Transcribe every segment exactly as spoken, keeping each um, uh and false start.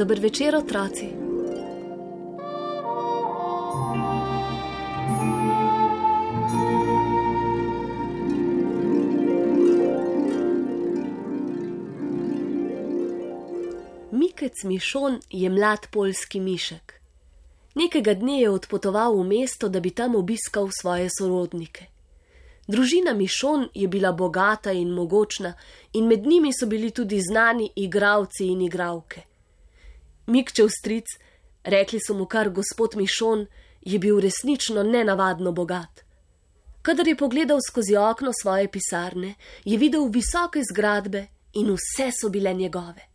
Dober večer, otroci. Mikec Mišon je mlad poljski mišek. Nekega dne je odpotoval v mesto, da bi tam obiskal svoje sorodnike. Družina Mišon je bila bogata in mogočna in med njimi so bili tudi znani igralci in igralke. Mikčev stric, rekli so mu kar gospod Mišon, je bil resnično nenavadno bogat. Kadar je pogledal skozi okno svoje pisarne, je videl visoke zgradbe in vse so bile njegove.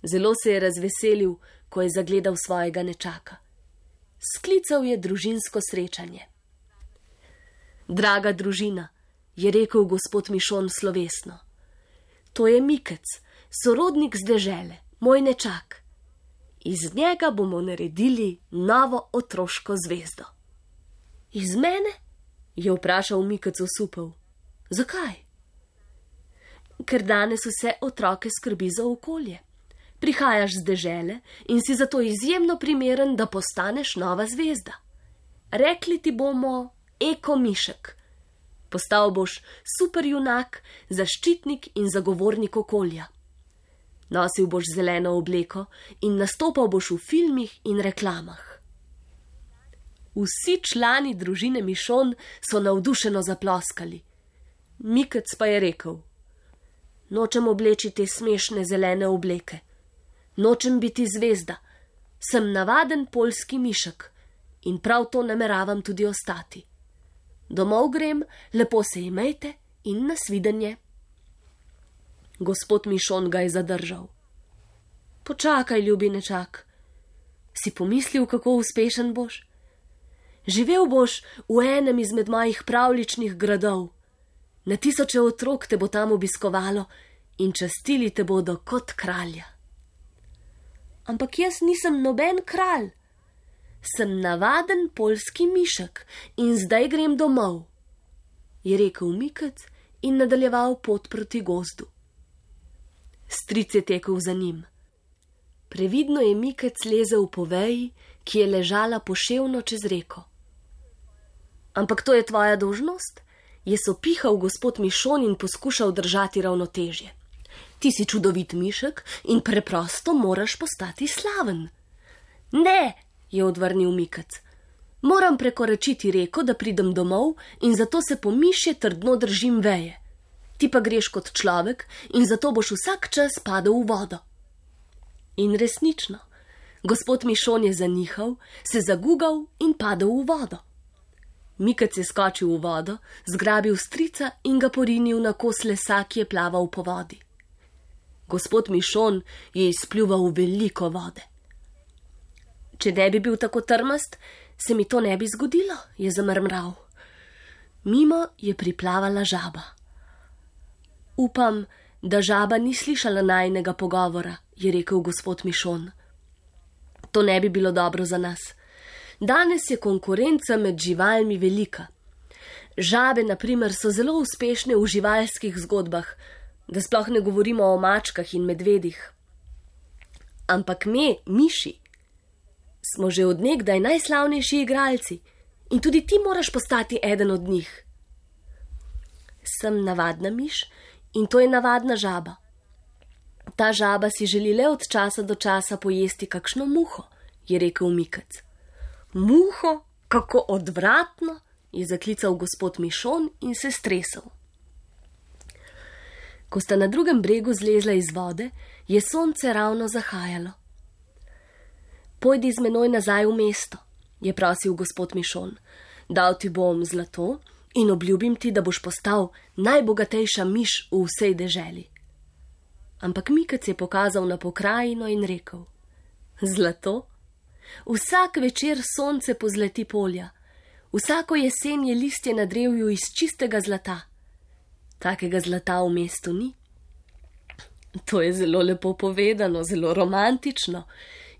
Zelo se je razveselil, ko je zagledal svojega nečaka. Sklical je družinsko srečanje. Draga družina, je rekel gospod Mišon slovesno, to je Mikec, sorodnik z dežele, moj nečak. Iz njega bomo naredili novo otroško zvezdo. Iz mene? Je vprašal Mikec osupel. Zakaj? Ker danes vse otroke skrbi za okolje. Prihajaš z dežele in si zato izjemno primeren, da postaneš nova zvezda. Rekli ti bomo Eko Mišek. Postal boš superjunak, zaščitnik in zagovornik okolja. Nosil boš zeleno obleko in nastopal boš v filmih in reklamah. Vsi člani družine Mišon so navdušeno zaploskali. Mikec pa je rekel, nočem obleči te smešne zelene obleke. Nočem biti zvezda. Sem navaden poljski mišek in prav to nameravam tudi ostati. Domov grem, lepo se imejte in nasvidenje. Gospod Mišon ga je zadržal. Počakaj, ljubi nečak. Si pomislil, kako uspešen boš? Živel boš v enem izmed mojih pravličnih gradov. Na tisoče otrok te bo tam obiskovalo in častili te bodo kot kralja. Ampak jaz nisem noben kralj. Sem navaden poljski mišek in zdaj grem domov, je rekel Mikec in nadaljeval pot proti gozdu. Stric je tekel za njim. Previdno je Mikec lezel po veji, ki je ležala poševno čez reko. Ampak to je tvoja dolžnost, je sopihal gospod Mišon in poskušal držati ravnotežje. Ti si čudovit mišek in preprosto moraš postati slaven. Ne, je odvrnil Mikec. Moram prekoračiti reko, da pridem domov in zato se po mišje trdno držim veje. Ti pa greš kot človek in zato boš vsak čas padel v vodo. In resnično, gospod Mišon je zanihal, se zagugal in padel v vodo. Mikec je skočil v vodo, zgrabil strica in ga porinil na kos lesa, ki je plaval po vodi. Gospod Mišon je izpljuval veliko vode. Če ne bi bil tako trmast, se mi to ne bi zgodilo, je zamrmral. Mimo je priplavala žaba. Upam, da žaba ni slišala najinega pogovora, je rekel gospod Mišon. To ne bi bilo dobro za nas. Danes je konkurenca med živalmi velika. Žabe, na primer, so zelo uspešne v živalskih zgodbah, da sploh ne govorimo o mačkah in medvedih. Ampak me, miši, smo že od nekdaj najslavnejši igralci in tudi ti moraš postati eden od njih. Sem navadna miš in to je navadna žaba. Ta žaba si želi le od časa do časa pojesti kakšno muho, je rekel Mikec. Muho? Kako odvratno, je zaklical gospod Mišon in se stresel. Ko sta na drugem bregu zlezla iz vode, je sonce ravno zahajalo. Pojdi z menoj nazaj v mesto, je prosil gospod Mišon. Dal ti bom zlato in obljubim ti, da boš postal najbogatejša miš v vsej deželi. Ampak Mikec je pokazal na pokrajino in rekel, Zlato? Vsak večer sonce pozlati polja, vsako jesen je listje na drevju iz čistega zlata. Takega zlata v mestu ni. To je zelo lepo povedano, zelo romantično,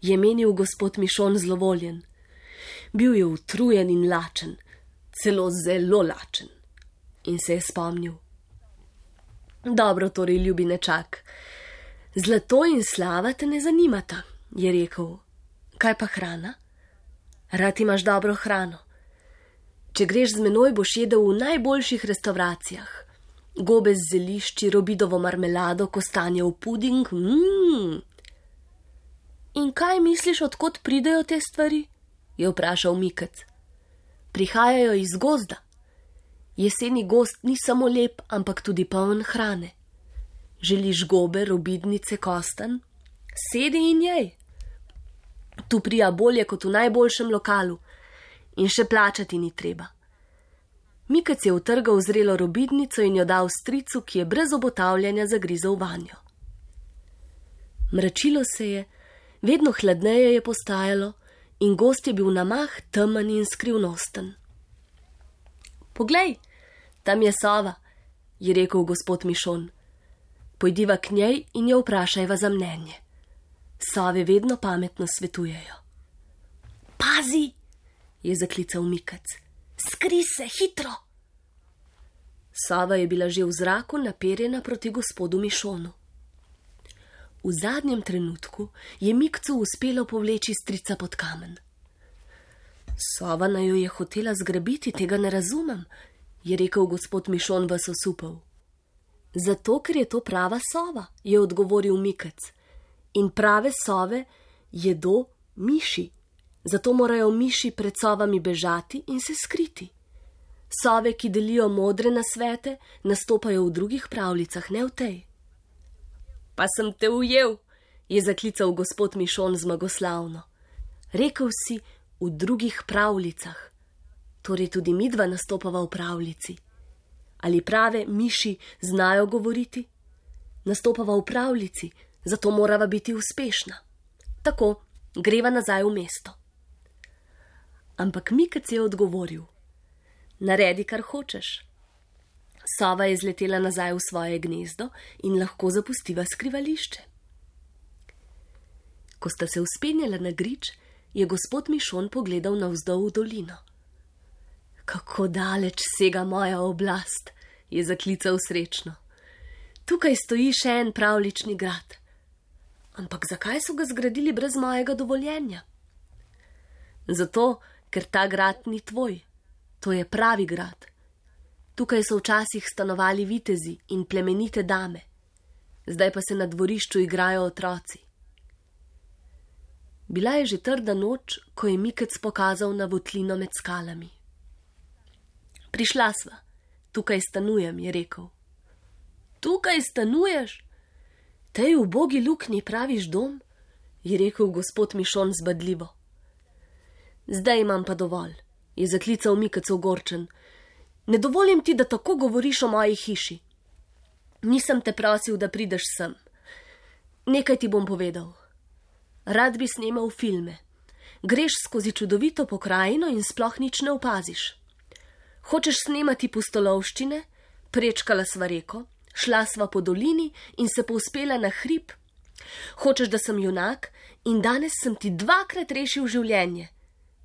je menil gospod Mišon zlovoljen. Bil je utrujen in lačen, celo zelo lačen. In se je spomnil. Dobro, torej, ljubi nečak, zlato in slava te ne zanimata, je rekel. Kaj pa hrana? Rad imaš dobro hrano. Če greš z menoj, boš jedel v najboljših restauracijah. Gobe z zelišči, robidovo marmelado, kostanjev puding. Mm. In kaj misliš, odkot pridejo te stvari? Je vprašal Mikec. Prihajajo iz gozda. Jeseni gozd ni samo lep, ampak tudi poln hrane. Želiš gobe, robidnice, kostan? Sedi in jej. Tu prija bolje kot v najboljšem lokalu in še plačati ni treba. Mikec je utrgal zrelo robidnico in jo dal stricu, ki je brez obotavljanja zagrizel vanjo. Mračilo se je, vedno hladneje je postajalo in gozd je bil na mah temen in skrivnosten. Poglej, tam je sova, je rekel gospod Mišon. Pojdiva k njej in jo vprašajva za mnenje. Sove vedno pametno svetujejo. Pazi, je zaklical Mikec. Skri se, hitro! Sova je bila že v zraku naperjena proti gospodu Mišonu. V zadnjem trenutku je Mikcu uspelo povleči strica pod kamen. Sova naju je hotela zgrabiti, tega ne razumem, je rekel gospod Mišon vas osupal. Zato, ker je to prava sova, je odgovoril Mikec. In prave sove jedo miši, zato morajo miši pred sovami bežati in se skriti. Sove, ki delijo modre nasvete, nastopajo v drugih pravljicah, ne v tej. Pa sem te ujel, je zaklical gospod Mišon zmagoslavno. Rekel si v drugih pravljicah, torej tudi midva nastopava v pravljici. Ali prave miši znajo govoriti? Nastopava v pravljici, zato morava biti uspešna. Tako, greva nazaj v mesto. Ampak Mikec je odgovoril. Naredi, kar hočeš. Sova je zletela nazaj v svoje gnezdo in lahko zapustiva skrivališče. Ko sta se vzpenjala na grič, je gospod Mišon pogledal navzdol v dolino. Kako daleč sega moja oblast, je zaklical srečno. Tukaj stoji še en pravljični grad. Ampak zakaj so ga zgradili brez mojega dovoljenja? Zato, ker ta grad ni tvoj. To je pravi grad. Tukaj so včasih stanovali vitezi in plemenite dame. Zdaj pa se na dvorišču igrajo otroci. Bila je že trda noč, ko je Mikec pokazal na votlino med skalami. Prišla sva. Tukaj stanujem, je rekel. Tukaj stanuješ? Tej ubogi luknji praviš dom? Je rekel gospod Mišon zbadljivo. Zdaj imam pa dovolj, je zaklical Mikec ogorčen. Ne dovolim ti, da tako govoriš o moji hiši. Nisem te prosil, da prideš sem. Nekaj ti bom povedal. Rad bi snemal filme. Greš skozi čudovito pokrajino in sploh nič ne opaziš. Hočeš snemati pustolovščine? Prečkala sva reko, šla sva po dolini in se povzpela na hrib. Hočeš, da sem junak in danes sem ti dvakrat rešil življenje.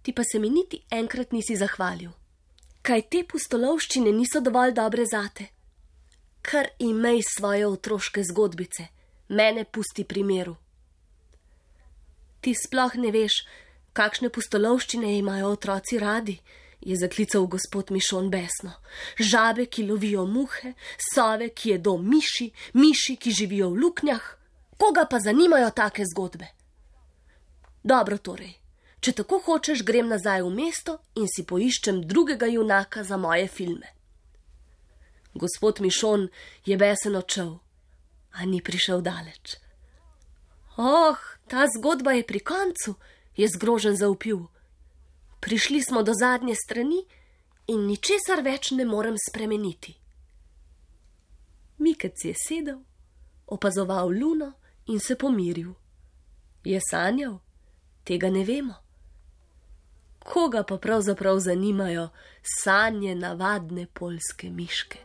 Ti pa se mi niti enkrat nisi zahvalil. Kaj te pustolovščine niso dovolj dobre zate? Kar imej svoje otroške zgodbice, mene pusti pri miru. Ti sploh ne veš, kakšne pustolovščine imajo otroci radi, je zaklical gospod Mišon besno. Žabe, ki lovijo muhe, sove, ki jedo miši, miši, ki živijo v luknjah. Koga pa zanimajo take zgodbe? Dobro torej. Če tako hočeš, grem nazaj v mesto in si poiščem drugega junaka za moje filme. Gospod Mišon je besen odšel, a ni prišel daleč. Oh, ta zgodba je pri koncu, je zgrožen zavpil. Prišli smo do zadnje strani in ničesar več ne morem spremeniti. Mikec je sedel, opazoval luno in se pomiril. Je sanjal? Tega ne vemo. Koga pa pravzaprav zanimajo sanje navadne poljske miške?